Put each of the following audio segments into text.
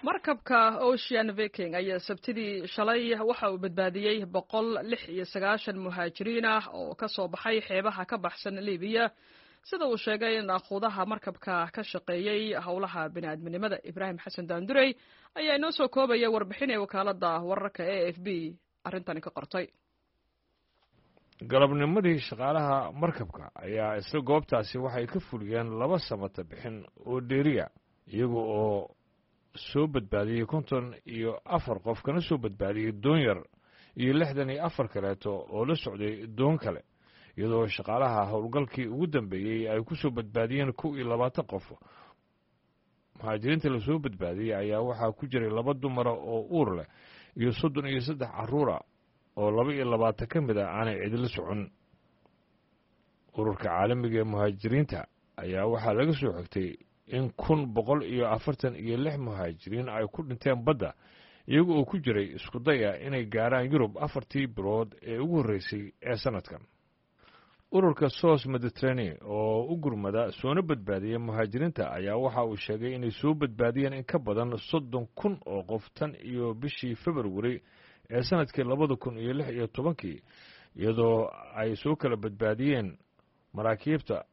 Markabka Ocean Viking ayaa Sabtidii shalay waxa uu badbaadiyey 196 muhaajiriin ah oo ka soo baxay xeebaha ka baxsan Libiya, sida uu sheegay naakhuudaha markabka ka shaqeeyey howlaha bini'aadminimada. Ibraahim Xasan Daandurey ayaa inoo soo koobaya warbixin ee wakaaladda wararka AFP arrintani ka qortay. Galabnimadii, shaqaalaha markabka ayaa isla goobtaasi waxay ka fuliyeen laba samata bixin oo dheeriya, iyaga oo soo badbaadiyey 54 qof, kana soo badbaadiyey doon yar iyo 64 kaleeto oo la socday doon kale, iyadoo shaqaalaha howlgalkii ugu dambeeyey ay ku soo badbaadiyeen 21 qof. Muhaajiriinta lasoo badbaadiyey ayaa waxaa ku jiray laba dumara oo uur leh iyo 33 carruura oo 22 ka mid ah aanay cidila socon. Ururka caalamiga ee muhaajiriinta ayaa waxaa laga soo xigtay in 1146 muhaajiriin ay ku dhinteen badda, iyaga oo ku jiray isku daya inay gaaraan Yurub afartii bilood ee ugu horreysay ee sannadkan. Ururka SOS Mediterranean oo u gurmada soona badbaadiya muhaajiriinta ayaa waxa uu sheegay inay soo badbaadiyeen in ka badan 30,000 oo qof tan iyo bishii Februari ee sannadkii 2016-kii, iyadoo ay soo kala badbaadiyeen maraakiibta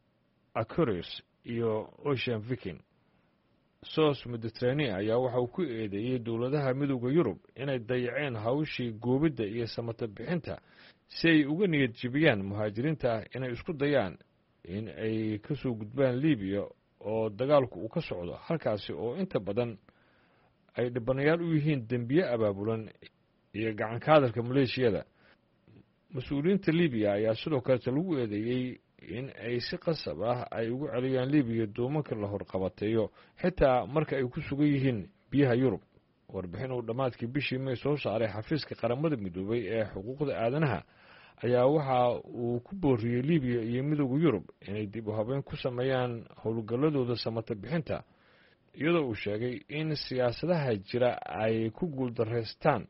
Aquarius iyo Ocean Viking. SOS Mediterranean ayaa waxa uu ku eedeeyey dowladaha Midowda Yurub inay dayaceen hawshii goobidda iyo samata bixinta si ay uga niyad jebiyaan muhaajiriinta inay isku dayaan in ay ka soo gudbaan Libiya oo dagaalku uu ka socdo, halkaasi oo inta badan ay dhibanayaal u yihiin dembiye abaabulan iyo gacanka hadalka maleeshiyada. Mas-uuliyiinta Libiya ayaa sidoo kaleeta lagu eedeeyey in ay si qasab ah ay ugu celiyaan Libiya doomanka la horqabateeyo, xitaa marka ay ku sugan yihiin biyaha Yurub. Warbixin uu dhammaadkii bishii May soo saaray xafiiska Qaramada Midoobay ee xuquuqda aadanaha ayaa waxa uu ku booriyey Libiya iyo Midowda Yurub inay dib u habeyn ku sameeyaan howlgalladooda samata bixinta, iyadoo uu sheegay in siyaasadaha jira ay ku guuldaraystaan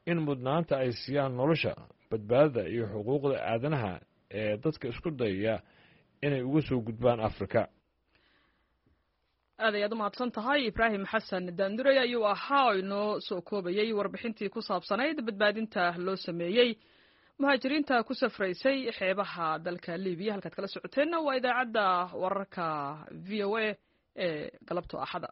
in mudnaanta ay siiyaan nolosha, badbaadada iyo xuquuqda aadanaha ee dadka isku dayaya inay uga soo gudbaan Afrika. Aad ayaad u mahadsan tahay. Ibraahim Xasan Daandurey ayuu ahaa oo inoo soo koobayey warbixintii ku saabsanayd badbaadinta loo sameeyey muhaajiriinta ku safraysay xeebaha dalka Libiya. Halkaad kala socoteenna waa idaacadda wararka VOA ee galabto Axada.